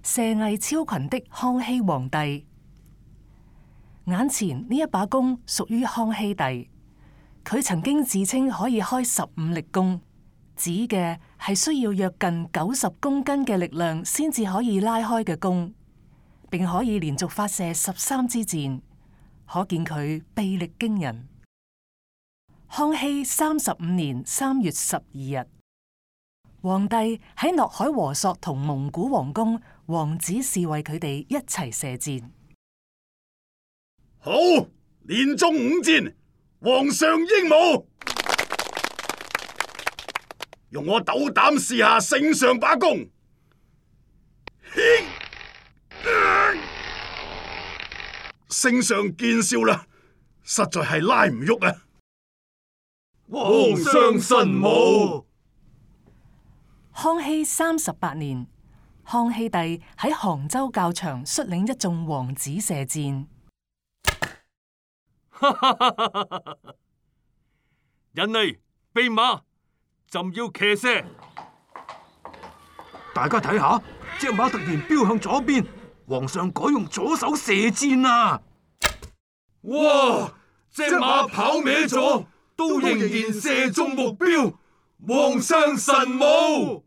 射藝超群的康熙皇帝。眼前呢一把弓屬於康熙帝，佢曾經自稱可以開15力弓，指嘅係需要約近90公斤嘅力量先至可以拉開嘅弓，並可以連續發射13支箭，可見佢臂力驚人。康熙35年3月12日，皇帝喺諾海和索同蒙古王公王子侍衛佢哋一齊射箭。好，連中5箭，皇上英武！用我斗膽試下聖上把弓。聖上見笑啦，實在係拉唔喐啊！皇上神武。康熙38年，康熙帝喺杭州教場率領一眾王子射箭。人嚟，備馬，朕要騎射。大家睇下，隻馬突然飆向左邊，皇上改用左手射箭啊！哇！隻馬跑歪咗，都仍然射中目標，皇上神武！